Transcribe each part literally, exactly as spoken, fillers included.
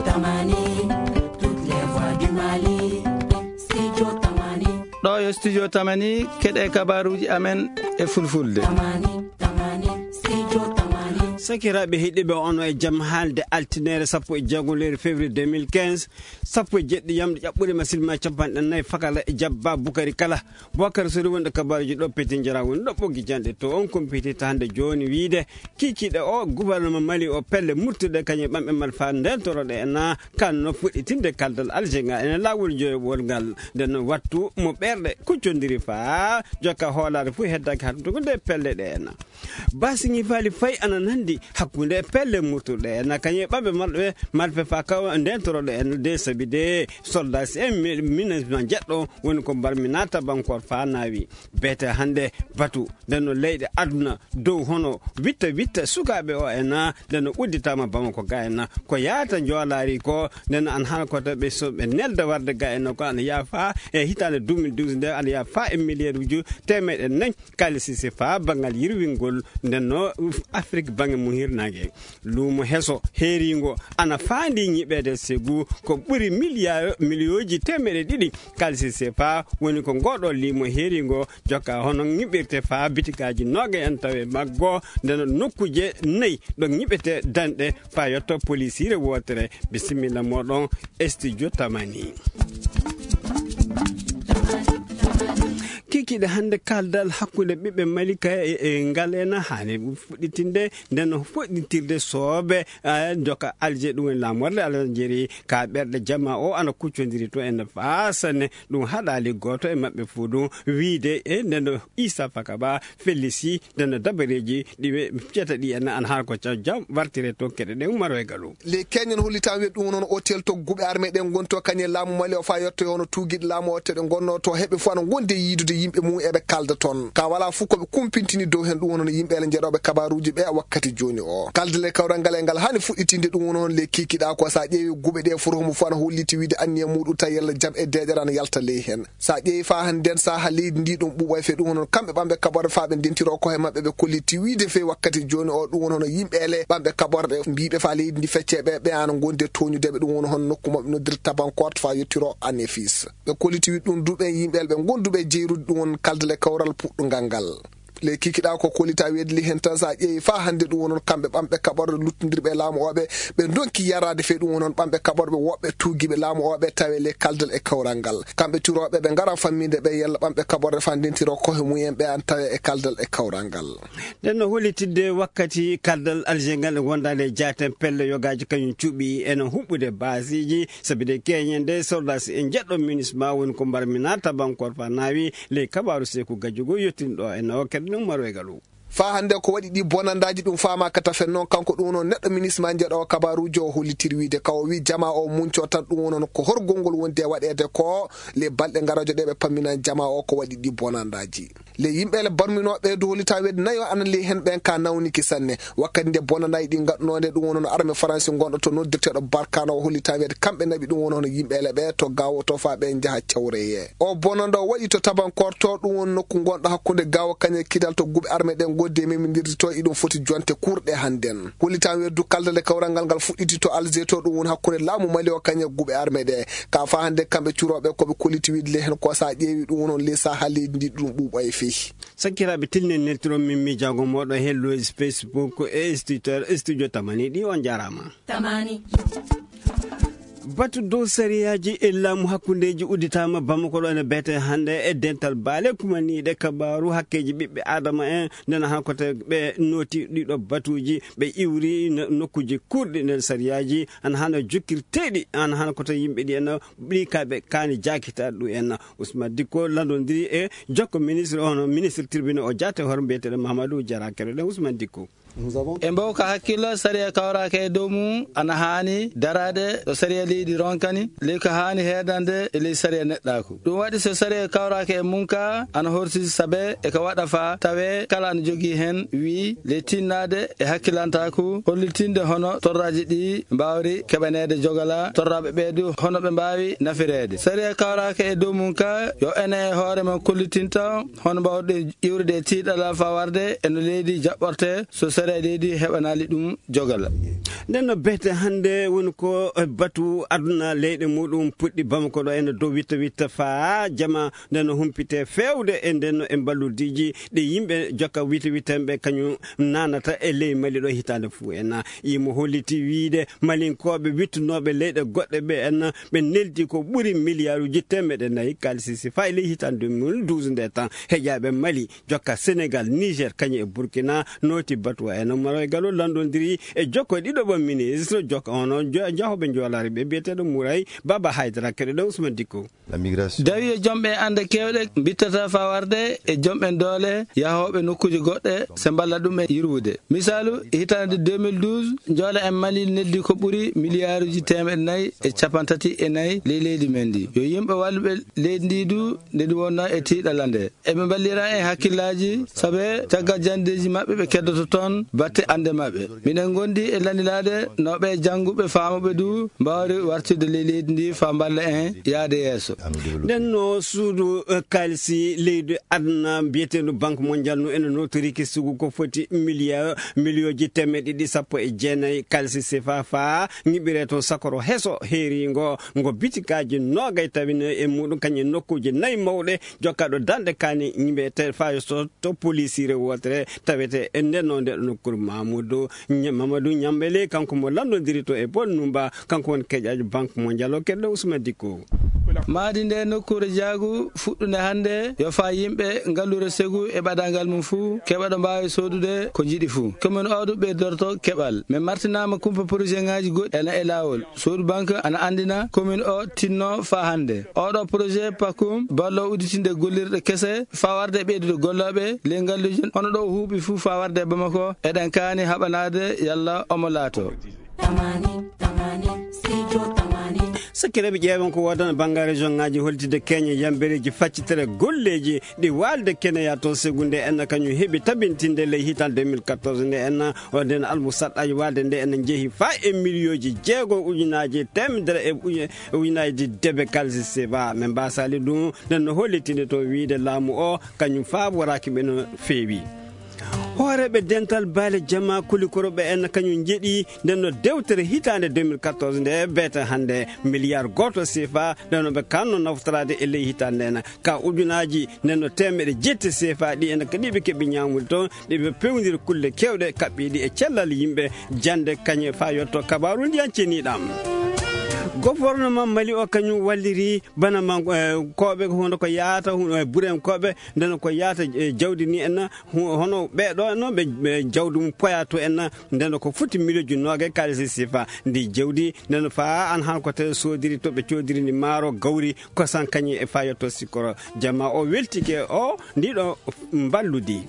Tamani, toutes les voix du Mali. Studio Tamani. Ɗo yo Studio Tamani, keɗe kabaruji amen e fulfulde. Tamani, Tamani, Studio Tamani. Sakiraaɓe heɗiɓe, on o e jam haalde altinere sappo e jeego lewru février deux mille quinze, sappo e jeɗɗi yamɗe ƴaɓɓuɗe ma silma capanɗe nayi fakala e jabba Bukari Kala. Bokar Sori wonɗo kabaruji ɗo peti jara woni ɗo ɓoggi janɗe to on kompiti ta hande joni wiide kikiɗe o gouvernement Mali o pelle murtude kañum e ɓamɓe mal fa ndentoroɗe en na kanno fuɗɗitinde kaldal Alger ngal ene lawol joyowol ngal. Nden wattu mo ɓerɗe kuccodiri fa jokka hoolare fu heddaki hattugol nde pelle ɗe en na. Basi ñifaali fayi ana nandi hakkunde pelle murtuɗe en na kañum e ɓamɓe malɓe malfe fa kaw ndentoroɗe en de sabi de soldat si en mi-, minasma jeɗɗo woni ko mbarmi naata bankor fa nawi. Beete hannde batu nde no leyɗe aduna dow hono witta witta sukaaɓe o en na nde no udditama Bamako ga en na ko yaata njoolaari ko nde no an hana kota ɓe so ɓe nelda warde ga en na ko ana yaafa e hitaande deux mille douze nde ana yaafa e milliard uju temeɗe nayi kaalisi si fa banngal yirwingol nde no Afrik bange mum hirnaange. Luumo heso heeringo ana faandi ñiɓeede segu ko ɓuri miliyar-, miliyooji teemeɗe ɗiɗi kaalisi sefa woni ko ngoɗo limo heeringo jokka hono ñiɓirte fa bitikaaji nooga en tawe maggo nde no nokkuje nayi ɗo ñiɓete danɗe fa yotto polisiire wootere. Bisimilla moɗon, Studio Tamani. Kikiɗe hannde kaldal hakkunde ɓiɓɓe Malika e, e ngal ena haani fuɗɗitinde nden fuɗɗitirde soobe, eh, joka Alger, ɗum woni laamorde Algérie, ka ɓerɗe jama o ana kuccondiri to en faasane. Ɗum haɗaali gooto e maɓɓe fuu ɗum wiide e nden Issa Fakaba fellisi nden dabareeji ɗi ɓe fiyata ɗi en ana haa ko ca-, jam wartire to keɗe ɗe ummaro e galu. Les Kenyans hollitaama wiya ɗum woni hono hôtel to guɓe armée ɗen ngoni to kañe laamu Mali o faa yettoyo hono tuugiiɗe laamu o teɗe ngonnoo to heɓe fof ana ngondi e yiidude yimɓe mum eɓe kalda toon. Ka walaa fof ko ɓe kumpintini dow heen ɗum woni hono yimɓe ele njeɗooɓe kabaruuji ɓe wakkati jooni o. Kaldal e kawral ngal e ngal haani fuɗɗitinde ɗum woni hono les kiikiɗaa ko so a ƴeewi guɓe ɗe fof homo fof ana holliti wiide anniya muɗum tawi yalla jam e deeƴere ana yalta ley heen. So a ƴeewi faa hannde nden saha leydi ndi ɗum ɓuuɓay fe ɗum hono kamɓe ɓamɓe kaɓorɗe faa ɓe ndentiro ko he maɓɓe ɓe kolliti wiide fe wakkati jooni o ɗum woni hono yimɓe ele ɓamɓe kaɓorɗe mbiiɓe faa leydi ndi fecce ɓe ɓe ana ngondi e tooñude ɓe ɗum woni hono nokku maɓɓe noddirta tabankorte faa yettiro anefis. Ɓe kolliti wiide ɗum du ɓen yimɓe ele ɓe gonduɓe e jeyrude ɗum woni kaldal e kawral puɗɗungal ngal. Les kikiɗaa ko kollita weedli heen tan so a ƴeewi faa hannde ɗum woni hono kamɓe ɓamɓe kaɓorɗe luttondirɓe e laamu o ɓe ɓe ndonki yaraade fe ɗum woni hono ɓamɓe kaɓorɗe woɓɓe tuugiiɓe laamu o ɓe tawe les kaldal e kawral ngal. Kamɓe turooɓe ɓe ngara famminde ɓe yalla ɓamɓe kaɓorɗe faa ndentiro kohe mum en ɓe an tawe e kaldal e kawral ngal. Nden no hollitidde wakkati kaldal Alger ngal e wondaade e jaaten pelle yogaaji kañum cuɓi ene huɓɓude baasiiji sabi de keñen de soldat si en jeɗɗo minisma woni ko mbarmi naata bankor fa naawi ley kabaaru seeku gajjugo yottinɗo en o keɗe ɗum maro e galu. Faa hannde ko waɗi ɗi bonandaaji ɗum faamaaka tafen noon kanko ɗum woni neɗɗo minisma njeɗo kabaaruuji o hollitiri wiide ka o wi jama o munco tan ɗum woni ko horgol ngol wondi e waɗeede ko le balɗe ngarajo ɗe ɓe pammina jama o ko waɗi ɗi bonandaaji. Le yimɓe le barminooɓe du hollita weede nayo ana ley heen ɓeen ka nawniki sanne. Wakkati nde bonanaaji ɗi ngaɗnoonde ɗum woni no armée faransi ngonɗo to noddirteeɗo Barkano o hollita weede kamɓe naɓi ɗum woni hono yimɓe ele ɓe to gawo to faa ɓe njaha cawreye. O bonando waɗi to tabankor to ɗum woni nokku ngonɗo hakkunde gawo kañe kidal to guɓe armée ɗen ngoddi e memindirde to iɗum foti jonte kurɗe hannden. Hollita weede du kaldal e kawral ngal ngal fuɗɗiti to Alger to ɗum woni hakkunde laamu Mali o kañe guɓe armée ɗe. Ka faa hannde kamɓe curooɓe ko ɓe kolliti wiide le heen ko so a ƴeewi ɗum woni hono le saha leydi ndi ɗum ɓuuɓa e fii. Sakkiraaɓe tilnen neltiron min miijaago mooɗon he lois Facebook e studio, studio Tamani ɗi on njaaraama. Tamani. Batu dow sariyaaji e laamu hakkundeeji udditaama Bamako ɗo ene beete hannde e dental baale kumaniiɗe kabaaru hakkeeji ɓiɓɓe Aadama en nden han ko te ɓe nooti ɗiɗo batuuji ɓe iwri no-, nokkuuji kurɗi nder sariyaaji ana hano jokkirteeɗi ana hano ko te yimɓe ɗi en ɗi ka ɓe kaani jaakitaade ɗum en. Ousmane Dicko landondiri e jokko ministre, hono ministre tribunal o jaate hoore mbiyeteeɗo Mahamadou Diarra. Keɗoɗen Ousmane Dicko. En mbaw ka hakkillo sariya kawraaka e dow mum ana haani daraade ɗo sariya leydi ronkani, ley ko haani heedande e ley sariya neɗɗaaku. Ɗum waɗi so sariya kawraaka e mum ka ana horsude sabe e ko waɗa fa tawe kala ana jogii heen wii le tinnaade e hakkilantaaku hollitinde hono torraaji ɗi mbaawri keɓaneede jogala torraaɓe ɓee du hono ɓe mbaawi nafireede. Sariya kawraaka e dow mum ka yo ene e hoore mum kollitinta hono mbaawɗe iwrude e tiiɗalal faa warde e no leydi jaɓɓortee so sariya leydi heɓanaali ɗum jogal. Nden no behte hannde woni ko batu aduna leyɗe muɗum puɗɗi Bamako ɗo ene dow witta witta faa jama nden no humpite feewde e nden no e mballudiiji ɗi yimɓe jokka witta witta ɓe kañum nanata e ley Mali ɗo hitaande fuu en. Imo holliti wiide Malinkooɓe wittunooɓe leyɗe goɗɗe ɓe en ɓe neldi ko ɓuri miliyaaruuji teemeɗe nayi kaalisi si faa e ley hitaande deux mille douze nde tan heƴaaɓe Mali jokka Senegal, Niger, kañum e Burkina, nooti batu en. Maroy Galo landondiri e jokko ɗiɗo ɓo ministre jokka hono jo-, jahooɓe joolaare ɓe biyeteeɗo Mouray Baba Haydara, keɗoɗen Ousmane Dicko. Dawi e jom ɓe annde keewɗe mbittata faa warde e jom ɓen doole yahooɓe nokkuuje goɗɗe se mballa ɗum e yurwude. Misaalu, hitaande deux mille douze, njoole en Mali neldi ko ɓuri miliyaaruuji teemeɗe nayi e cappanɗe tati e nayi ley leydi men ndi. Yo yimɓe walluɓe leydi ndi du, nde ɗum wonnoo e tiiɗalla nde. Eɓe mballira e hakkillaaji, sabe caggal janndeeji maɓɓe ɓe keddoto toon batte annde maɓɓe. Miɗen ngondi e landilaade no ɓe jannguɓe faamuɓe du mbaawri wartirde ley leydi ndi faa mballa en yaade yeeso. Nden no suudu, eh, kaalisi leydi aduna mbiyeteendu Banque Mondiale no ene notoriki sugu ko foti miliya-, miliyooji teemeɗe ɗiɗi sappo e jeenayi kaalisi sefa faa ñiɓɓiree toon sakoro heso heeriingo ngo bitikaaji noogay tawino e muɗum kañum nokkuuje nayi mawɗe jokkaɗo danɗe kaani ñiɓɓe te faa so to polisiire wootere tawete e nden no nde ɗo nokkuure Mamadou Nya-, Mamadou Ñambele, kanko mo lanndondiri to e Paul Numba, kanko woni keƴaajo Banque Mondiale o, keɗɗo Ousmane Dicko. Maadi nde nokkuure jaagu fuɗɗunde hannde, yo faa yimɓe ngallure segu e ɓadaangal mum fuu, keɓa ɗo mbaawi soodude ko njiɗi fuu. Commune o du ɓeydorto keɓal. Men martinaama kumpa projet ŋaaji goɗɗi ena e laawol. Soodu banque ana anndina commune o tinno faa hannde. Oɗo projet Pakum ballo udditinde gollirɗe kese faa warde ɓeydude gollooɓe ley ngalluuje hono ɗo o huuɓi fuu faa warde Bamako. Eɗen kaani haɓanaade yalla omo laato. Tamani, tamani, studio tamani. Sakkireeɓe ƴeewen ko woodana banngal région ŋaaji holtide keñe yambereeji faccitere golleeji ɗi waalde keneya toon segunde en kañum heɓi tabintinde ley hital deux mille quatorze nde en o nden almusaɗɗaaji waalde nde en njehi faa e miliyooji jeego ujunaaji teemedere e uju-, ujunaaji debe kalisi seba. Men mbasaali ɗum nden no hollitinde to wiide laamu o kañum faa woraaki ɓe no feewi. Hooreeɓe dental baale jama kulikoroɓe en kañum njeɗi nden no dewtere hitaande deux mille quatorze nde beete hannde miliyar gooto sefa nden no ɓe kanno naftoraade e ley hitaande nde en ka ujunaaji nden no teemeɗe jetti sefa ɗi en kadi ɓe keɓi ñaamude toon ɗi ɓe pewndiri kulle kewɗe kaɓɓiiɗi e cellal yimɓe jannde kañe faa yotto kabaaru ndiyan ceniɗam. Gouvernement Mali o kañum walliri bana man, eh, koɓe hono ko yaata, hu-, eh, buren koɓe, nden ko yaata, eh, jawdi ni en, hu-, hono ɓe ɗo no ɓe, ɓe jawdi mum poya to en, nden ko futti miliyonji noogay kaalisi sifa ndi jawdi, nden faa an han ko te sodiri to ɓe codiri ni maaro, gawri, kosan kañi e faa yotto sikkoro. Jama o weltike o, ndiɗo mballudi.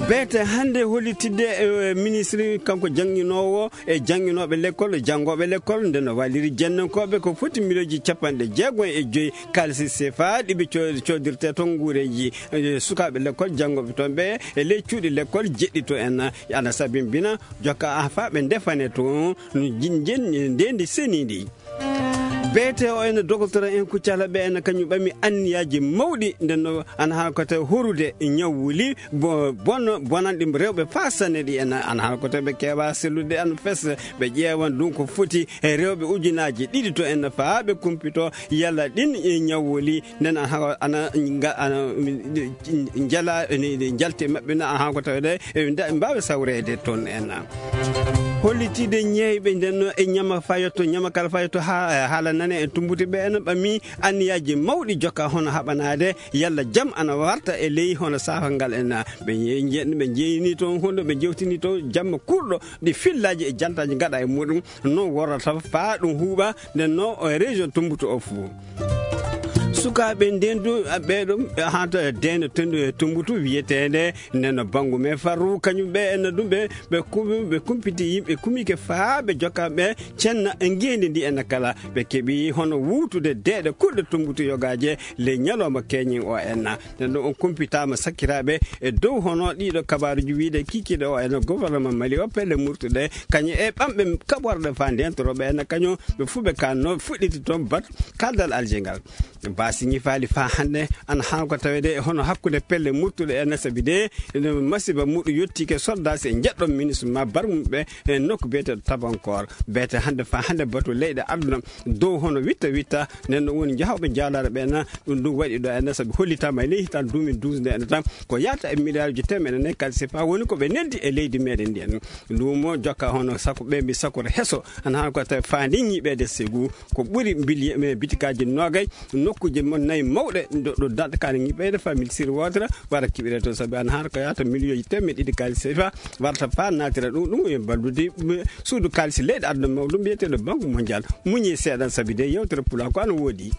Beete hannde hollitidde, eh, ministre kanko jannginoowo e jannginooɓe lekkol, janngooɓe lekkol, nde no walliri jennankooɓe ko foti miliyonji capanɗe jeego e joyi kaalisi sefa ɗi ɓe co-, codirte toon nguureeji, eh, sukaaɓe lekkol, janngooɓe toon ɓe e ley cuuɗi lekkol jeɗɗi to en. Ana sabimbina jokka an faa ɓe ndefane toon, no jin-, jen-, ndeendi seniindi. Beete o ene dogotoro en Kuccala ɓe ene kañum ɓami anniyaaji mawɗi, nden no ana haa ko tawi horude ñawwuli bo-, bon-, bonanɗi rewɓe faa sanne ɗi ene ana haa ko tawi ɓe keewa sellude ana fes, ɓe ƴeewan ɗum ko foti e rewɓe ujunaaji ɗiɗi to en faa ɓe kumpito yalla ɗin e ñawwuli nden ana, ana, nga-, ana, njala, ni, ni njalte maɓɓe na, ahan, ko tawde, e, nda-, mbaawa sawreede toon en. Hollitide ñeeyɓe nden no e ñama fayotto, ñama kala fayotto ha, e, haala nane e tumbuti ɓe en ɓami anniyaaji mawɗi jokka hono haɓanaade yalla jam ana warta e ley hono saafal ngal en. Ɓe ñe-, ñe-, ɓe jeeyni toon hono ɓe jewtini toon jamma kurɗo ɗi fillaaji e jantaaji ngaɗa e muɗum. No worrata faa ɗum huuɓa, nden no, e, région Tumbutu o fuu. Sukaaɓe ndendu, a, ɓee ɗum, e, hanta deene tendu e Tumbutu wiyeteende, nden no Banngu me Farru, kañum ɓe, en ɗum ɓe, ɓe kum-, ɓe kumpiti yimɓe kumike faa ɓe jokka ɓe cenna e ngeendi ndi en kala. Ɓe keɓi hono wuutude deeɗe kuɗɗe Tumbutu yogaaje ley ñalawma keñen o en. Nden ɗo on kumpitaama sakkiraaɓe e dow hono ɗiɗo kabaaruji wiide kikiiɗe o ene gouvernement Mali o pelle murtuɗe kañum e ɓamɓe kaɓorɗe faa ndentoroɓe ene kañum ɓe fuu ɓe kanno fuɗɗiti toon bat kaldal Alger ngal. Ba Si ñifaali faa hannde, ana haa ko tawede e hono hakkunde pelle muttuɗe e nasabi de, ene masiba muɗum yottike soldat si e njeɗɗon ministre ma barmum ɓe e nokku biyeteeɗo Tabankor. Biyete hannde faa hannde batu leyɗe aduna dow hono witta witta, nden ɗon woni jahooɓe jaalaare ɓe na, ɗum ɗum waɗi ɗo e nasabi hollitaama e ley hitaan deux mille douze nde ene tan ko yaata e miliyaaruji teemeɗe nayi kaalisi faa woni ko ɓe neldi e leydi meɗen ndi en. Luumo jokka hono sako ɓe mbi sakora heso, ana haa ko tawi faandi ñiiɓeede segu, ko ɓuri mbiliye, e, bitikaaji noogay, nokkuuje mon nayi mawɗe, ɗo, ɗo daɗɗa kaani ñiiɓeede faa mil siri wootere, wara kiɓire to sabi ana haa ko yaata miliyooji teemeɗe ɗiɗi kaalisi faa, warta faa naatira ɗum, ɗum e ballude, e, suudu kaalisi leyɗe aduna mawɗo mbiyeteeɗo Banque Mondiale. Muñi seeɗan sabi de yewtere pulaar ko ana woodi.